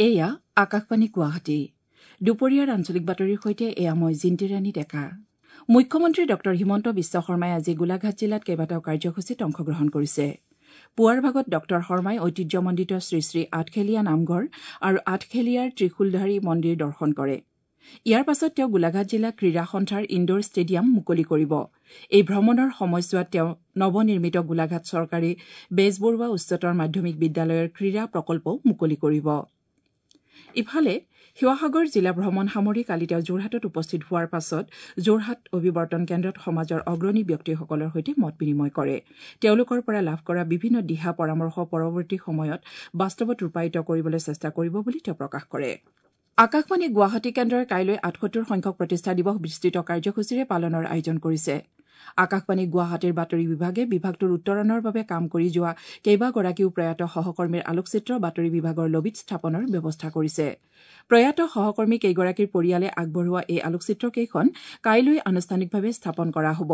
এয়া আকাশবাণী গুৱাহাটী। দুপৰীয়াৰ আঞ্চলিক বাতৰিৰ সৈতে এয়া মই জিন্তিৰাণী ডেকা। মুখ্যমন্ত্ৰী ডঃ হিমন্ত বিশ্ব শৰ্মাই আজি গোলাঘাট জিলাত কেইবাটাও কাৰ্যসূচীত অংশগ্ৰহণ কৰিছে। পুৱাৰ ভাগত ডঃ শৰ্মাই ঐতিহ্যমণ্ডিত শ্ৰীশ্ৰী আঠখেলীয়া নামঘৰ আৰু আঠখেলীয়াৰ ত্ৰিশূলধাৰী মন্দিৰ দৰ্শন কৰে। ইয়াৰ পাছত তেওঁ গোলাঘাট জিলা ক্ৰীড়া সন্থাৰ ইণ্ডোৰ ষ্টেডিয়াম মুকলি কৰিব। এই ভ্ৰমণৰ সময়ছোৱাত তেওঁ নৱনিৰ্মিত গোলাঘাট চৰকাৰী বেজবৰুৱা উচ্চতৰ মাধ্যমিক বিদ্যালয়ৰ ক্ৰীড়া প্ৰকল্পও মুকলি কৰিব। ইফালে শিৱসাগৰ জিলা ভ্ৰমণ সামৰি কালি তেওঁ যোৰহাটত উপস্থিত হোৱাৰ পাছত যোৰহাট অভিৱৰ্তন কেন্দ্ৰত সমাজৰ অগ্ৰণী ব্যক্তিসকলৰ সৈতে মত বিনিময় কৰে। তেওঁলোকৰ পৰা লাভ কৰা বিভিন্ন দিহা পৰামৰ্শ পৰৱৰ্তী সময়ত বাস্তৱত ৰূপায়িত কৰিবলৈ চেষ্টা কৰিব বুলি তেওঁ প্ৰকাশ কৰে। আকাশবাণী গুৱাহাটী কেন্দ্ৰই কাইলৈ ৭৮ সংখ্যক প্ৰতিষ্ঠা দিৱস বিস্তৃত কাৰ্যসূচীৰে পালনৰ আয়োজন কৰিছে। আকাশবাণী গুৱাহাটীৰ বাতৰি বিভাগে বিভাগটোৰ উত্তৰণৰ বাবে কাম কৰি যোৱা কেইবাগৰাকীও প্ৰয়াত সহকৰ্মীৰ আলোকচিত্ৰ বাতৰি বিভাগৰ লবীত স্থাপনৰ ব্যৱস্থা কৰিছে। প্ৰয়াত সহকৰ্মী কেইগৰাকীৰ পৰিয়ালে আগবঢ়োৱা এই আলোকচিত্ৰকেইখন কাইলৈ আনুষ্ঠানিকভাৱে স্থাপন কৰা হ'ব।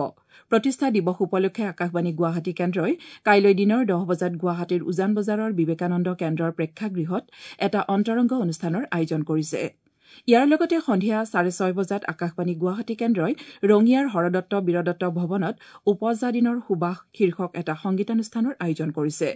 প্ৰতিষ্ঠা দিৱস উপলক্ষে আকাশবাণী গুৱাহাটী কেন্দ্ৰই কাইলৈ দিনৰ ১০ বজাত গুৱাহাটীৰ উজান বজাৰৰ বিবেকানন্দ কেন্দ্ৰৰ প্ৰেক্ষাগৃহত এটা অন্তৰংগ অনুষ্ঠানৰ আয়োজন কৰিছে। ইয়াৰ লগতে সন্ধিয়া ৬:৩০ বজাত আকাশবাণী গুৱাহাটী কেন্দ্ৰই ৰঙিয়াৰ হৰদত্ত বীৰদত্ত ভৱনত ওপজা দিনৰ সুবাস শীৰ্ষক এটা সংগীতানুষ্ঠানৰ আয়োজন কৰিছে।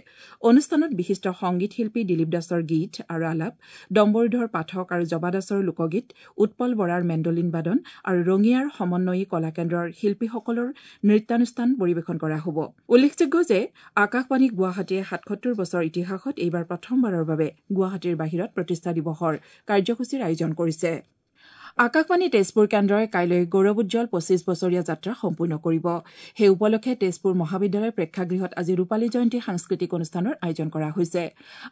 অনুষ্ঠানত বিশিষ্ট সংগীত শিল্পী দিলীপ দাসৰ গীত আৰু আলাপ, ডম্বৰুধৰ পাঠক আৰু জবা দাসৰ লোকগীত, উৎপল বৰাৰ মেণ্ডলিন বাদন আৰু ৰঙিয়াৰ সমন্বয়ী কলা কেন্দ্ৰৰ শিল্পীসকলৰ নৃত্যানুষ্ঠান পৰিৱেশন কৰা হ'ব। উল্লেখযোগ্য যে আকাশবাণী গুৱাহাটীয়ে ৭৭ বছৰ ইতিহাসত এইবাৰ প্ৰথমবাৰৰ বাবে গুৱাহাটীৰ বাহিৰত প্ৰতিষ্ঠা দিৱসৰ কাৰ্যসূচীৰ আয়োজন কৰিছে। আকাশবাণী তেজপুৰ কেন্দ্ৰই কাইলৈ গৌৰৱোজ্জ্বল ২৫ বছৰীয়া যাত্ৰা সম্পূৰ্ণ কৰিব। সেই উপলক্ষে তেজপুৰ মহাবিদ্যালয়ৰ প্ৰেক্ষাগৃহত আজি ৰূপালী জয়ন্তী সাংস্কৃতিক অনুষ্ঠানৰ আয়োজন কৰা হৈছে।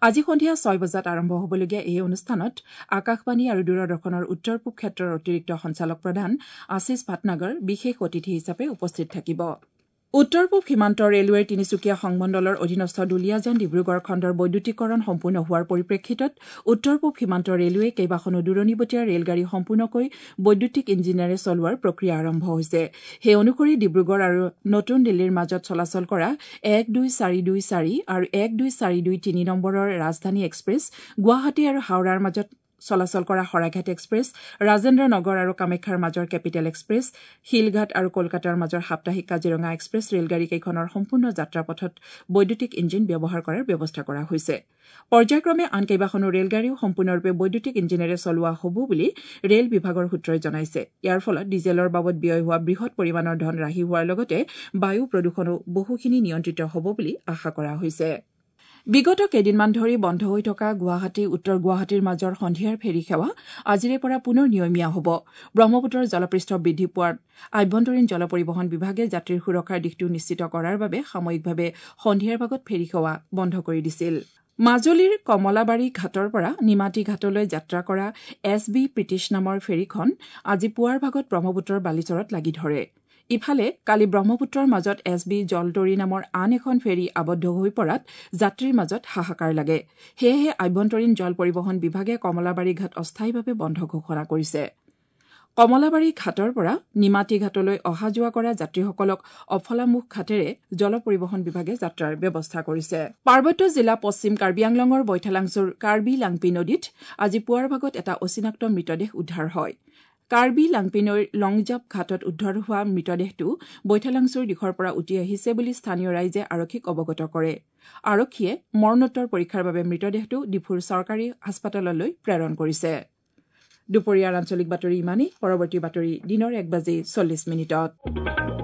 আজি সন্ধিয়া ৬ বজাত আৰম্ভ হ'বলগীয়া এই অনুষ্ঠানত আকাশবাণী আৰু দূৰদৰ্শনৰ উত্তৰ পূব ক্ষেত্ৰৰ অতিৰিক্ত সঞ্চালক প্ৰধান আশীষ ভাটনাগৰ বিশেষ অতিথি হিচাপে উপস্থিত থাকিব। উত্তৰ পূব সীমান্ত ৰেলৱেৰ তিনিচুকীয়া সংমণ্ডলৰ অধীনস্থ দুলীয়াজান ডিব্ৰুগড় খণ্ডৰ বৈদ্যুতিকৰণ সম্পূৰ্ণ হোৱাৰ পৰিপ্ৰেক্ষিতত উত্তৰ পূব সীমান্ত ৰেলৱে কেইবাখনো দূৰণিবটীয়া ৰেলগাড়ী সম্পূৰ্ণকৈ বৈদ্যুতিক ইঞ্জিনেৰে চলোৱাৰ প্ৰক্ৰিয়া আৰম্ভ হৈছে। সেই অনুসৰি ডিব্ৰুগড় আৰু নতুন দিল্লীৰ মাজত চলাচল কৰা ১ ২৪২৪ আৰু ১ ২৪২৩ নম্বৰৰ ৰাজধানী এক্সপ্ৰেছ, গুৱাহাটী আৰু হাওৰাৰ মাজত চলাচল কৰা শৰাইঘাট এক্সপ্ৰেছ, ৰাজেন্দ্ৰ নগৰ আৰু কামাখ্যাৰ মাজৰ কেপিটেল এক্সপ্ৰেছ, শিলঘাট আৰু কলকাতাৰ মাজৰ সাপ্তাহিক কাজিৰঙা এক্সপ্ৰেছ ৰেলগাড়ীকেইখনৰ সম্পূৰ্ণ যাত্ৰাপথত বৈদ্যুতিক ইঞ্জিন ব্যৱহাৰ কৰাৰ ব্যৱস্থা কৰা হৈছে। পৰ্যায়ক্ৰমে আন কেইবাখনো ৰেলগাড়ীও সম্পূৰ্ণৰূপে বৈদ্যুতিক ইঞ্জিনেৰে চলোৱা হ'ব বুলি ৰেল বিভাগৰ সূত্ৰই জনাইছে। ইয়াৰ ফলত ডিজেলৰ বাবদ ব্যয় হোৱা বৃহৎ পৰিমাণৰ ধন ৰাহি হোৱাৰ লগতে বায়ু প্ৰদূষণো বহুখিনি নিয়ন্ত্ৰিত হ'ব বুলি আশা কৰা হৈছে। বিগত কেইদিনমান ধৰি বন্ধ হৈ থকা গুৱাহাটী উত্তৰ গুৱাহাটীৰ মাজৰ সন্ধিয়াৰ ফেৰী সেৱা আজিৰে পৰা পুনৰ নিয়মীয়া হ'ব। ব্ৰহ্মপুত্ৰৰ জলপৃষ্ঠ বৃদ্ধি পোৱাত আভ্যন্তৰীণ জল পৰিবহণ বিভাগে যাত্ৰীৰ সুৰক্ষাৰ দিশটো নিশ্চিত কৰাৰ বাবে সাময়িকভাৱে সন্ধিয়াৰ ভাগত ফেৰী সেৱা বন্ধ কৰি দিছিল। মাজুলীৰ কমলাবাৰী ঘাটৰ পৰা নিমাতী ঘাটলৈ যাত্ৰা কৰা এছ বি প্ৰীতিশ নামৰ ফেৰীখন আজি পুৱাৰ ভাগত ব্ৰহ্মপুত্ৰৰ বালিচৰত লাগি ধৰে। ইফালে কালি ব্ৰহ্মপুত্ৰৰ মাজত এছ বি জলতৰী নামৰ আন এখন ফেৰী আবদ্ধ হৈ পৰাত যাত্ৰীৰ মাজত হাহাকাৰ লাগে। সেয়েহে আভ্যন্তৰীণ জল পৰিবহণ বিভাগে কমলাবাৰী ঘাট অস্থায়ীভাৱে বন্ধ ঘোষণা কৰিছে। কমলাবাৰী ঘাটৰ পৰা নিমাতী ঘাটলৈ অহা যোৱা কৰা যাত্ৰীসকলক অফলামুখ ঘাটেৰে জল পৰিবহণ বিভাগে যাত্ৰাৰ ব্যৱস্থা কৰিছে। পাৰ্বত্য জিলা পশ্চিম কাৰ্বি আংলঙৰ বৈঠালাংছুৰ কাৰ্বি লাংপি নদীত আজি পুৱাৰ ভাগত এটা অচিনাক্ত মৃতদেহ উদ্ধাৰ হয়। কাৰ্বি লাংপি নৈৰ লংজাপ ঘাটত উদ্ধাৰ হোৱা মৃতদেহটো বৈঠালাংছুৰ দিশৰ পৰা উটি আহিছে বুলি স্থানীয় ৰাইজে আৰক্ষীক অৱগত কৰে। আৰক্ষীয়ে মৰণোত্তৰ পৰীক্ষাৰ বাবে মৃতদেহটো ডিফুৰ চৰকাৰী হাস্পতাললৈ প্ৰেৰণ কৰিছে। দুপৰীয়াৰ আঞ্চলিক বাতৰি ইমানেই। পৰৱৰ্তী বাতৰি দিনৰ ১:৪০।